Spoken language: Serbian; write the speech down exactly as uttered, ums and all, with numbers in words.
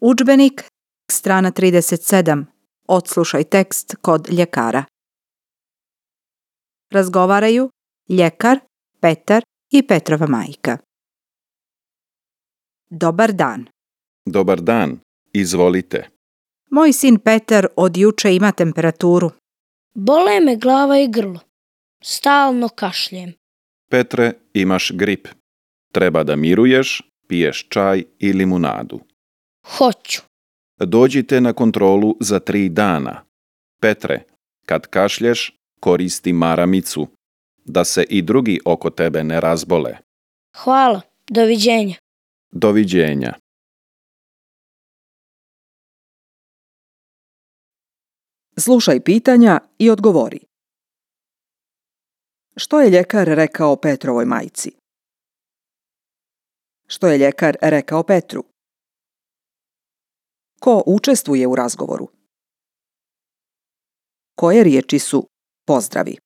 Udžbenik, strana trideset sedam. Odslušaj tekst kod ljekara. Razgovaraju ljekar, Petar i Petrova majka. Dobar dan. Dobar dan, izvolite. Moj sin Petar od juče ima temperaturu. Bole me glava i grlo. Stalno kašljem. Petre, imaš grip. Treba da miruješ, piješ čaj i limunadu. Hoću. Dođite na kontrolu za tri dana. Petre, kad kašlješ, koristi maramicu, da se i drugi oko tebe ne razbole. Hvala. Doviđenja. Doviđenja. Slušaj pitanja i odgovori. Što je ljekar rekao Petrovoj majci? Što je ljekar rekao Petru? Ko učestvuje u razgovoru? Koje riječi su pozdravi?